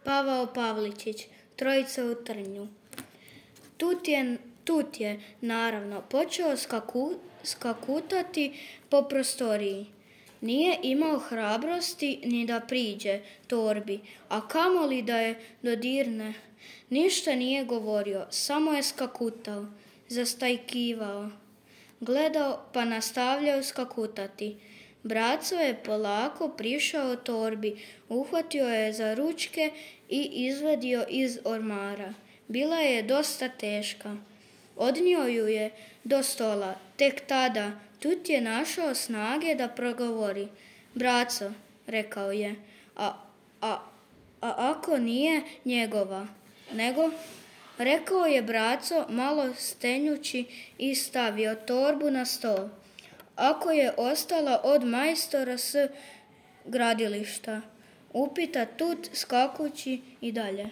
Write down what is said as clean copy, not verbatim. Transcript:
Pavao Pavličić, Trojica u trnju. Tut je, naravno, počeo skakutati po prostoriji. Nije imao hrabrosti ni da priđe torbi, a kamoli da je dodirne. Ništa nije govorio, samo je skakutao, zastajkivao. Gledao pa nastavljao skakutati. Braco je polako prišao torbi, uhvatio je za ručke i izvadio iz ormara. Bila je dosta teška. Odnio ju je do stola. Tek tada Tut je našao snage da progovori. Braco, rekao je, a ako nije njegova, nego? Rekao je braco malo stenjući i stavio torbu na stol. Ako je ostala od majstora s gradilišta, upita Tut skakući i dalje.